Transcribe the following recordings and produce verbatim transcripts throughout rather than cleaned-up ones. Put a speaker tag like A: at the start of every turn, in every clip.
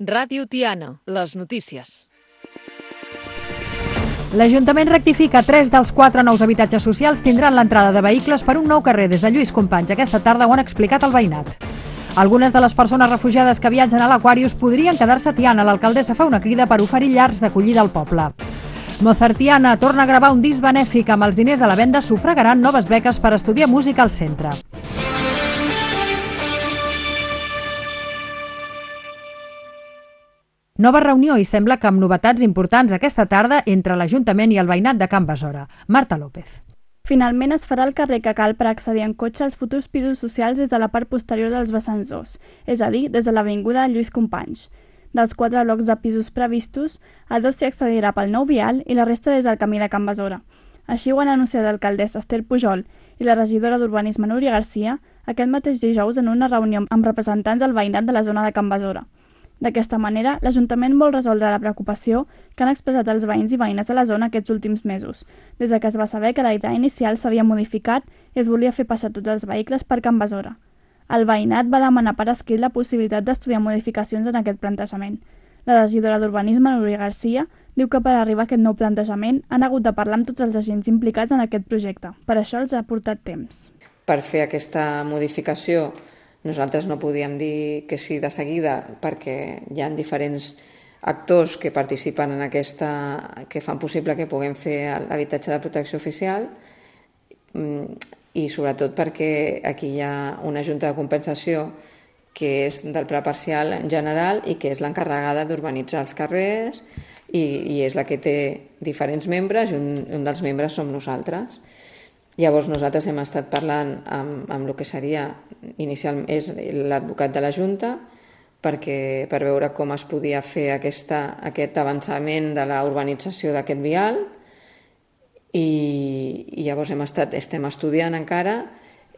A: Ràdio Tiana, les notícies.
B: L'Ajuntament rectifica tres dels quatre nous habitatges socials tindran l'entrada de vehicles per un nou carrer des de Lluís Companys. Aquesta tarda ho han explicat al veïnat. Algunes de les persones refugiades que viatgen a l'Aquarius podrien quedar-se a Tiana. L'alcaldessa fa una crida per oferir llars d'acollida al poble. Mozartiana torna a gravar un disc benèfic. Amb els diners de la venda sufragaran noves beques per estudiar música al centre. Nova reunió i sembla que amb novetats importants aquesta tarda entre l'Ajuntament i el veïnat de Can Besora. Marta López.
C: Finalment es farà el carrer que cal per accedir en cotxe als futurs pisos socials des de la part posterior dels vessants dos, és a dir, des de l'avinguda Lluís Companys. Dels quatre blocs de pisos previstos, a dos s'hi accedirà pel nou vial i la resta des del camí de Can Besora. Així ho han anunciat l'alcaldessa Esther Pujol i la regidora d'Urbanisme Núria Garcia aquest mateix dijous en una reunió amb representants del veïnat de la zona de Can Besora. D'aquesta manera, l'Ajuntament vol resoldre la preocupació que han expressat els veïns i veïnes de la zona aquests últims mesos, des que es va saber que la idea inicial s'havia modificat i es volia fer passar tots els vehicles per Can Besora. El veïnat va demanar per escrit la possibilitat d'estudiar modificacions en aquest plantejament. La regidora d'Urbanisme, Núria Garcia, diu que per arribar a aquest nou plantejament han hagut de parlar amb tots els agents implicats en aquest projecte. Per això els ha portat temps.
D: Per fer aquesta modificació nosaltres no podíem dir que sí de seguida perquè hi ha diferents actors que participen en aquesta, que fan possible que puguem fer l'habitatge de protecció oficial i sobretot perquè aquí hi ha una junta de compensació que és del pla parcial en general i que és l'encarregada d'urbanitzar els carrers i, i és la que té diferents membres i un, un dels membres som nosaltres. Llavors nosaltres hem estat parlant amb, amb el que seria inicialment és l'advocat de la Junta perquè, per veure com es podia fer aquesta, aquest avançament de la urbanització d'aquest vial i, i llavors hem estat, estem estudiant encara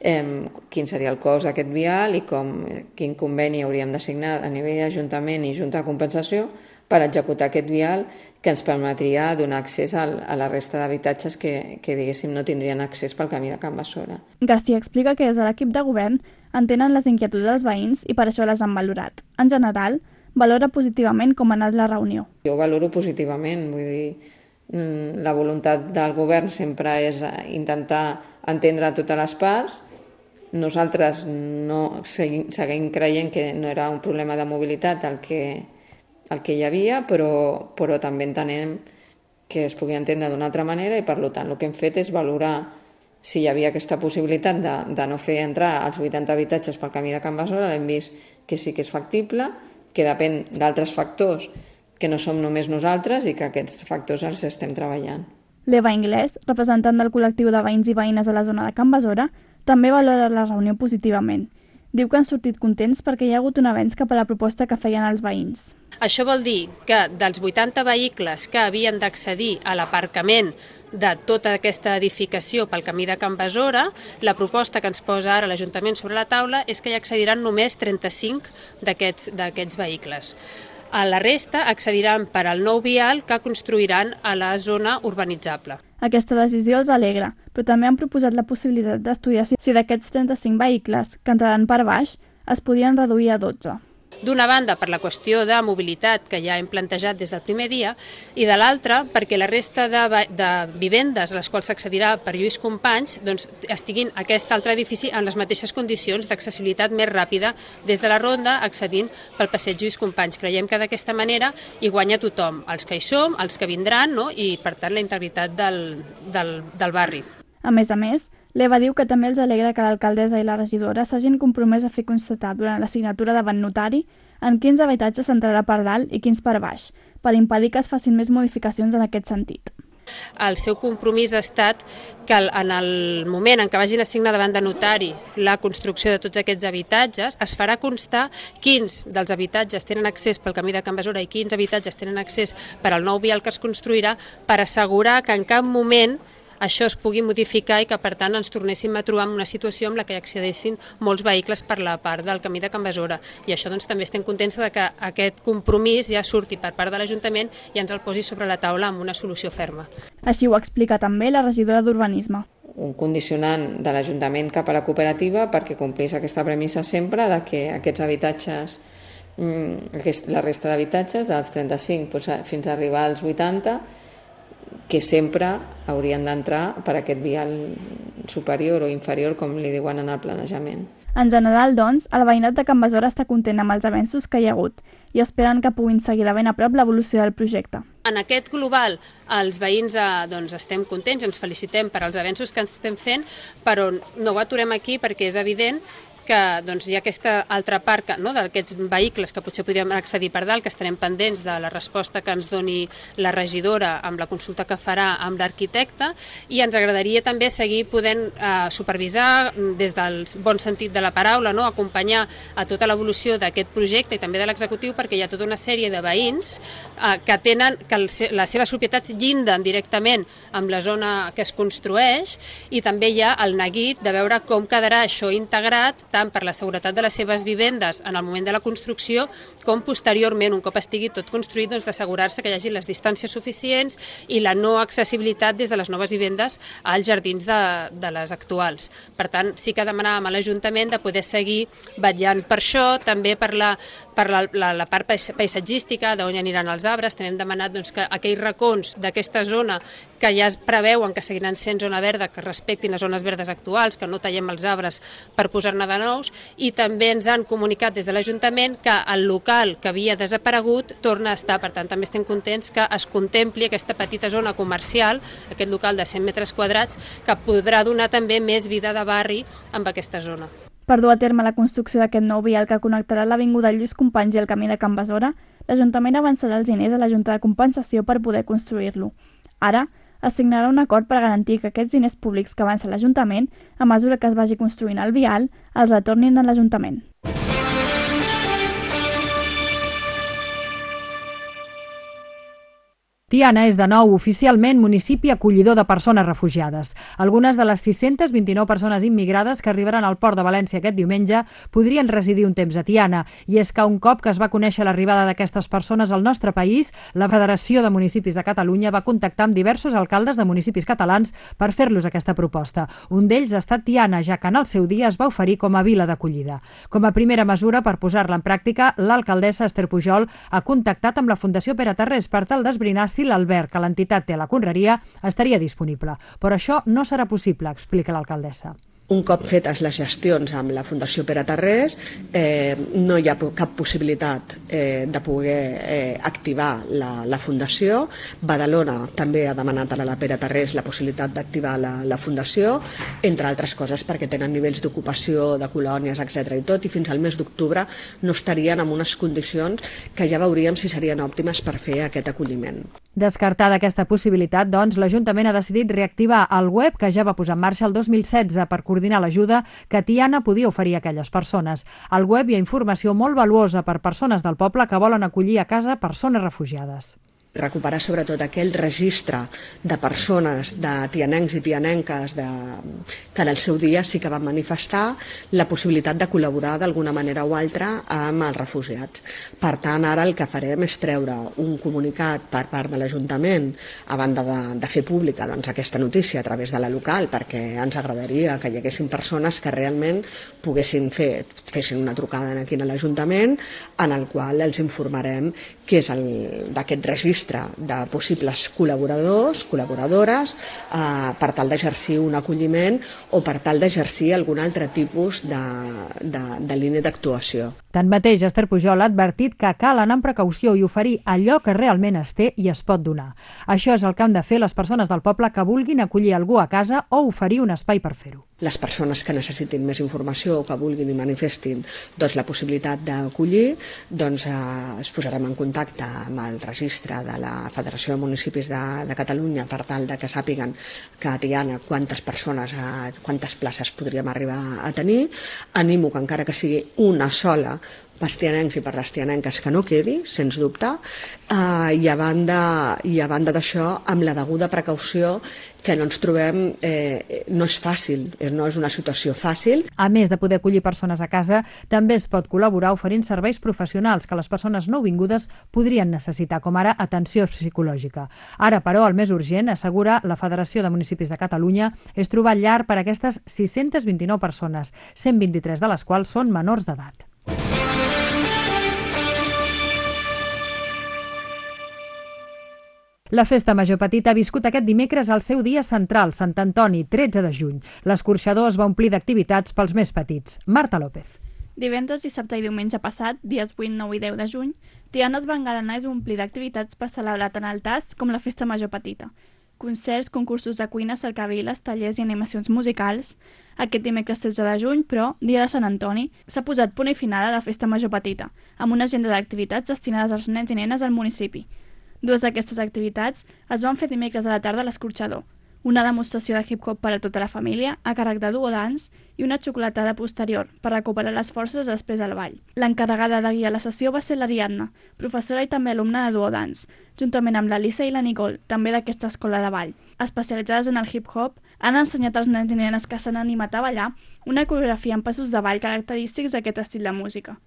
D: eh, quin seria el cost d'aquest vial i com, quin conveni hauríem de signar a nivell d'Ajuntament i Junta de Compensació per executar aquest vial que ens permetria donar accés a la resta d'habitatges que, que diguéssim, no tindrien accés pel camí de Can Besora.
C: Garcia explica que des de l'equip de govern entenen les inquietuds dels veïns i per això les han valorat. En general, valora positivament com ha anat la reunió.
D: Jo valoro positivament, vull dir, la voluntat del govern sempre és intentar entendre totes les parts. Nosaltres no seguim, seguim creient que no era un problema de mobilitat el que el que hi havia, però, però també entenem que es pugui entendre d'una altra manera i per tant el que hem fet és valorar si hi havia aquesta possibilitat de, de no fer entrar els vuitanta habitatges pel camí de Can Besora. L'hem vist que sí que és factible, que depèn d'altres factors que no som només nosaltres i que aquests factors els estem treballant.
C: L'Eva Inglés, representant del col·lectiu de veïns i veïnes de la zona de Can Besora, també valora la reunió positivament. Diu que han sortit contents perquè hi ha hagut un avenç cap a la proposta que feien els veïns.
E: Això vol dir que dels vuitanta vehicles que havien d'accedir a l'aparcament de tota aquesta edificació pel camí de Can Besora, la proposta que ens posa ara l'Ajuntament sobre la taula és que hi accediran només trenta-cinc d'aquests d'aquests vehicles. A la resta accediran per al nou vial que construiran a la zona urbanitzable.
C: Aquesta decisió els alegra, però també han proposat la possibilitat d'estudiar si d'aquests trenta-cinc vehicles que entraran per baix es podien reduir a dotze.
E: D'una banda, per la qüestió de mobilitat que ja hem plantejat des del primer dia, i de l'altra, perquè la resta de, de vivendes a les quals s'accedirà per Lluís Companys doncs, estiguin aquest altre edifici en les mateixes condicions d'accessibilitat més ràpida des de la ronda accedint pel passeig Lluís Companys. Creiem que d'aquesta manera hi guanya tothom, els que hi som, els que vindran, no? I per tant la integritat del, del, del barri.
C: A més a més, l'Eva diu que també els alegra que l'alcaldessa i la regidora s'hagin compromès a fer constatar durant la signatura davant notari en quins habitatges s'entrarà per dalt i quins per baix, per impedir que es facin més modificacions en aquest sentit.
E: El seu compromís ha estat que en el moment en què vagin a signar davant de notari la construcció de tots aquests habitatges, es farà constar quins dels habitatges tenen accés pel camí de Can Besora i quins habitatges tenen accés per al nou vial que es construirà per assegurar que en cap moment això es pugui modificar i que, per tant, ens tornéssim a trobar en una situació en la que accedessin molts vehicles per la part del camí de Can Besora. I això doncs, també estem contents de que aquest compromís ja surti per part de l'Ajuntament i ens el posi sobre la taula amb una solució ferma.
C: Així ho explica també la regidora d'Urbanisme.
D: Un condicionant de l'Ajuntament cap a la cooperativa perquè complís aquesta premissa sempre de que aquests habitatges la resta d'habitatges, dels trenta-cinc fins a arribar als vuitanta, que sempre haurien d'entrar per aquest vial superior o inferior, com li diuen en el planejament.
C: En general, doncs, el veïnat de Can Besora està content amb els avenços que hi ha hagut i esperen que puguin seguir de ben a prop l'evolució del projecte.
E: En aquest global, els veïns eh, doncs, estem contents, ens felicitem per als avenços que estem fent, però no ho aturem aquí perquè és evident que doncs, hi ha aquesta altra part que, no, d'aquests vehicles que potser podríem accedir per dalt, que estarem pendents de la resposta que ens doni la regidora amb la consulta que farà amb l'arquitecte, i ens agradaria també seguir podent eh, supervisar des del bon sentit de la paraula, no, acompanyar a tota l'evolució d'aquest projecte i també de l'executiu, perquè hi ha tota una sèrie de veïns eh, que tenen que el, les seves propietats llinden directament amb la zona que es construeix, i també hi ha el neguit de veure com quedarà això integrat tant per la seguretat de les seves vivendes en el moment de la construcció com posteriorment, un cop estigui tot construït, doncs d'assegurar-se que hi hagi les distàncies suficients i la no accessibilitat des de les noves vivendes als jardins de, de les actuals. Per tant, sí que demanàvem a l'Ajuntament de poder seguir vetllant per això, també per la, per la, la, la part paisatgística, d'on aniran els arbres. També hem demanat doncs, que aquells racons d'aquesta zona que ja es preveuen que seguiran sent zona verda, que respectin les zones verdes actuals, que no tallem els arbres per posar-ne de nous, i també ens han comunicat des de l'Ajuntament que el local que havia desaparegut torna a estar. Per tant, també estem contents que es contempli aquesta petita zona comercial, aquest local de cent metres quadrats, que podrà donar també més vida de barri amb aquesta zona.
C: Per dur a terme la construcció d'aquest nou vial que connectarà l'avinguda Lluís Companys i el camí de Can Besora, l'Ajuntament avançarà els diners a la Junta de Compensació per poder construir-lo. Ara, es signarà un acord per garantir que aquests diners públics que avança l'Ajuntament, a mesura que es vagi construint el vial, els retornin a l'Ajuntament.
B: Tiana és de nou oficialment municipi acollidor de persones refugiades. Algunes de les sis-centes vint-i-nou persones immigrades que arribaran al port de València aquest diumenge podrien residir un temps a Tiana, i és que un cop que es va conèixer l'arribada d'aquestes persones al nostre país, la Federació de Municipis de Catalunya va contactar amb diversos alcaldes de municipis catalans per fer-los aquesta proposta. Un d'ells ha estat Tiana, ja que en el seu dia es va oferir com a vila d'acollida. Com a primera mesura per posar-la en pràctica, l'alcaldessa Esther Pujol ha contactat amb la Fundació Pere Tarrés per tal d'esbrinar si l'alberg que l'entitat té a la Conreria estaria disponible. Però això no serà possible, explica l'alcaldessa.
F: Un cop fetes les gestions amb la Fundació Pere Tarrés, eh, no hi ha cap possibilitat eh, de poder eh, activar la, la Fundació. Badalona també ha demanat a la Pere Tarrés la possibilitat d'activar la, la Fundació, entre altres coses perquè tenen nivells d'ocupació, de colònies, etcètera i tot, i fins al mes d'octubre no estarien en unes condicions que ja veuríem si serien òptimes per fer aquest acolliment.
B: Descartada aquesta possibilitat, doncs, l'Ajuntament ha decidit reactivar el web que ja va posar en marxa el dos mil setze per coordinar l'ajuda que Tiana podia oferir a aquelles persones. Al web hi ha informació molt valuosa per persones del poble que volen acollir a casa persones refugiades.
F: Recuperar sobretot aquell registre de persones, de tianencs i tianenques de, que en el seu dia sí que van manifestar la possibilitat de col·laborar d'alguna manera o altra amb els refugiats. Per tant, ara el que farem és treure un comunicat per part de l'Ajuntament a banda de, de fer pública doncs, aquesta notícia a través de la local, perquè ens agradaria que hi haguessin persones que realment poguessin fer, fessin una trucada aquí a l'Ajuntament en el qual els informarem què és d'aquest registre de possibles col·laboradors, col·laboradores, eh, per tal d'exercir un acolliment o per tal d'exercir algun altre tipus de, de, de línia d'actuació.
B: Tanmateix, Esther Pujol ha advertit que cal anar amb precaució i oferir allò que realment es té i es pot donar. Això és el que han de fer les persones del poble que vulguin acollir algú a casa o oferir un espai per fer-ho.
F: Les persones que necessitin més informació o que vulguin i manifestin doncs, la possibilitat d'acollir, doncs, eh, es posarem en contacte amb el registre de la Federació de Municipis de, de Catalunya per tal de que sàpiguen que a Tiana quantes persones, eh, quantes places podríem arribar a tenir. Animo que encara que sigui una sola pels tianencs i per les tianenques que no quedi, sens dubte, uh, i a banda, i a banda d'això, amb la deguda precaució que no ens trobem, eh, no és fàcil, no és una situació fàcil.
B: A més de poder acollir persones a casa, també es pot col·laborar oferint serveis professionals que les persones nouvingudes podrien necessitar, com ara atenció psicològica. Ara, però, el més urgent, assegura la Federació de Municipis de Catalunya, és trobar llar per a aquestes sis-centes vint-i-nou persones, cent vint-i-tres de les quals són menors d'edat. La Festa Major Petita ha viscut aquest dimecres al seu dia central, Sant Antoni, tretze de juny. L'escorxador es va omplir d'activitats pels més petits. Marta López.
C: Divendres, dissabte i diumenge passat, dies vuit, nou i deu de juny, Tiana es va engalanar i omplir d'activitats per celebrar tant el tast com la Festa Major Petita. Concerts, concursos de cuina, cercaviles, tallers i animacions musicals. Aquest dimecres tretze de juny, però, dia de Sant Antoni, s'ha posat punt i final a la Festa Major Petita, amb una agenda d'activitats destinades als nens i nenes al municipi. Dues d'aquestes activitats es van fer dimecres a la tarda a l'Escorxador, una demostració de hip-hop per a tota la família, a càrrec de duo dance, i una xocolatada posterior, per recuperar les forces després del ball. L'encarregada de guiar la sessió va ser l'Ariadna, professora i també alumna de duo dance, juntament amb l'Alissa i la Nicole, també d'aquesta escola de ball. Especialitzades en el hip-hop, han ensenyat als nens i nenes que s'han animat a ballar una coreografia amb passos de ball característics d'aquest estil de música.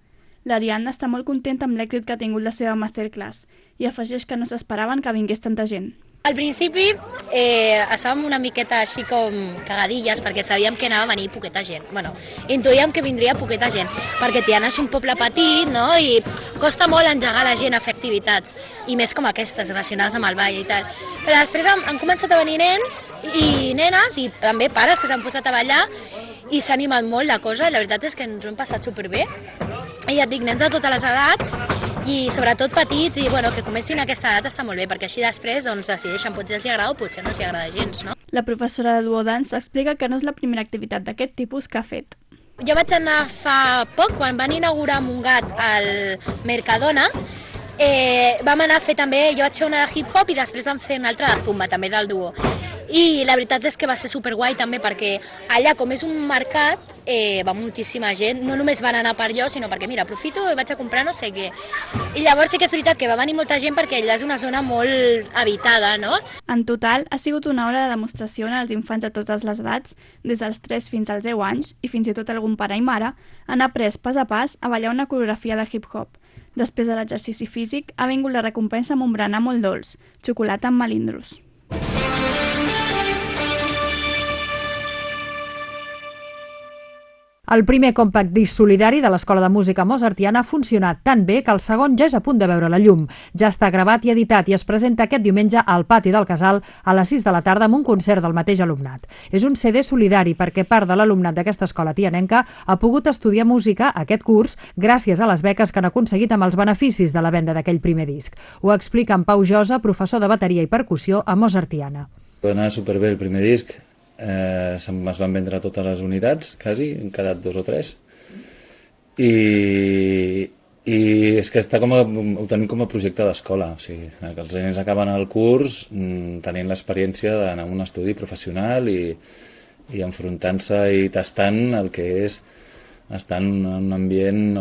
C: L'Ariadna està molt contenta amb l'èxit que ha tingut la seva masterclass i afegeix que no s'esperaven que vingués tanta gent.
G: Al principi eh, estàvem una miqueta així com cagadilles perquè sabíem que anava a venir poqueta gent. Bueno, intuïem que vindria poqueta gent perquè Tiana és un poble petit, no? I costa molt engegar la gent a fer activitats i més com aquestes, relacionades amb el ball i tal. Però després han, han començat a venir nens i nenes i també pares que s'han posat a ballar i s'ha animat molt la cosa. La veritat és que ens ho hem passat superbé. I ja et dic, nens de totes les edats i sobretot petits, i bueno, que comencin a aquesta edat està molt bé, perquè així després doncs, decideixen potser els hi agrada o potser no els hi agrada gens, no?
C: La professora de duo dance explica que no és la primera activitat d'aquest tipus que ha fet.
G: Jo vaig anar fa poc, quan van inaugurar Montgat al Mercadona, eh, vam anar a fer també, jo vaig fer una de hip-hop i després vam fer una altra de zumba, també del duo. I la veritat és que va ser superguai també perquè allà, com és un mercat, eh, va moltíssima gent, no només van anar per jo, sinó perquè, mira, aprofito i vaig a comprar no sé què. I llavors sí que és veritat que va venir molta gent perquè allà és una zona molt habitada, no?
C: En total, ha sigut una hora de demostració als infants de totes les edats, des dels tres fins als deu anys, i fins i tot algun pare i mare han après pas a pas a ballar una coreografia de hip-hop. Després de l'exercici físic, ha vingut la recompensa amb un berenar molt dolç, xocolata amb melindros.
B: El primer compact disc solidari de l'Escola de Música Mozartiana ha funcionat tan bé que el segon ja és a punt de veure la llum. Ja està gravat i editat i es presenta aquest diumenge al pati del Casal a les sis de la tarda amb un concert del mateix alumnat. És un C D solidari perquè part de l'alumnat d'aquesta escola tianenca ha pogut estudiar música aquest curs gràcies a les beques que han aconseguit amb els beneficis de la venda d'aquell primer disc. Ho explica en Pau Josa, professor de bateria i percussió a Mozartiana.
H: Va anar superbé el primer disc. Eh, es van vendre totes les unitats, quasi, han quedat dos o tres, i, i és que està com a, ho tenim com a projecte d'escola, o sigui, que els nens acaben el curs mm, tenint l'experiència d'anar a un estudi professional i, i enfrontant-se i tastant el que és estar en un ambient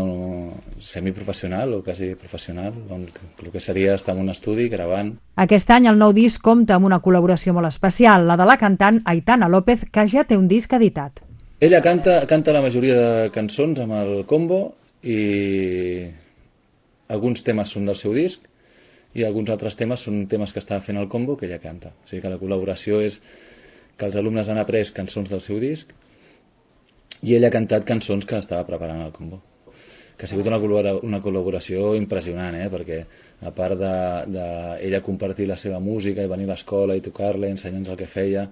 H: semiprofessional o quasi professional, on el que seria estar en un estudi gravant.
B: Aquest any el nou disc compta amb una col·laboració molt especial, la de la cantant Aitana López, que ja té un disc editat.
H: Ella canta, canta la majoria de cançons amb el combo i alguns temes són del seu disc i alguns altres temes són temes que estava fent el combo que ella canta. O sigui que la col·laboració és que els alumnes han après cançons del seu disc i ella ha cantat cançons que estava preparant al combo. Que ha sigut una, una col·laboració impressionant, eh? Perquè a part d'ella de, de compartir la seva música i venir a l'escola i tocar-la, ensenyar-nos el que feia,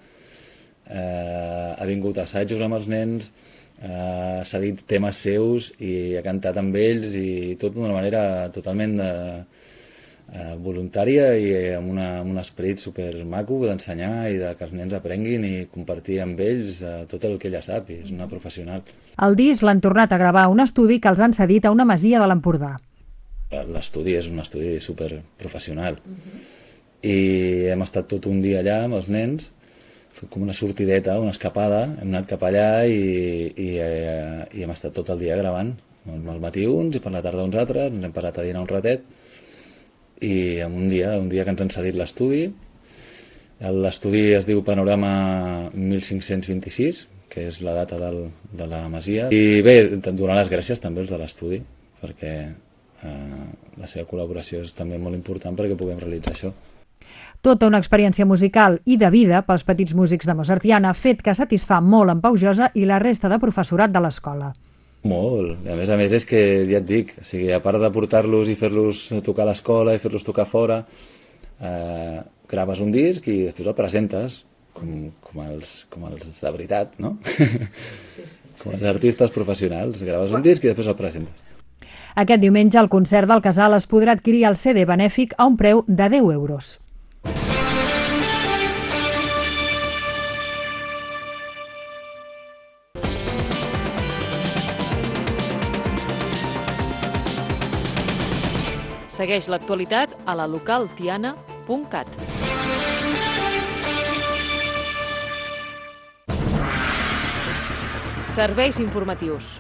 H: eh, ha vingut a assajos amb els nens, eh, s'ha dit temes seus i ha cantat amb ells i tot d'una manera totalment de, eh, voluntària i amb, una, amb un esperit supermaco d'ensenyar i de que els nens aprenguin i compartir amb ells eh, tot el que ella sap, i és una professional.
B: El disc l'han tornat a gravar a un estudi que els han cedit a una masia de l'Empordà.
H: L'estudi és un estudi superprofessional. Uh-huh. I hem estat tot un dia allà amb els nens, com una sortideta, una escapada, hem anat cap allà i, i, eh, i hem estat tot el dia gravant. Al matí uns i per la tarda uns altres, ens hem parat a dinar un ratet i en un dia, un dia que ens han cedit l'estudi. L'estudi es diu Panorama mil cinc-cents vint-i-sis, que és la data del, de la masia. I bé, donar les gràcies també als de l'estudi, perquè eh, la seva col·laboració és també molt important perquè puguem realitzar això.
B: Tota una experiència musical i de vida pels petits músics de Mozartiana, fet que satisfà molt en Pau Josa i la resta de professorat de l'escola.
H: Molt. A més a més és que, ja et dic, o sigui, a part de portar-los i fer-los tocar a l'escola i fer-los tocar fora, eh, graves un disc i després el presentes, com, com, els, com els de veritat, no? Sí, sí, com els artistes professionals, graves un disc i després el presentes.
B: Aquest diumenge al concert del Casal es podrà adquirir el C D benèfic a un preu de deu euros.
A: Segueix l'actualitat a la local tiana punt cat. Serveis informatius.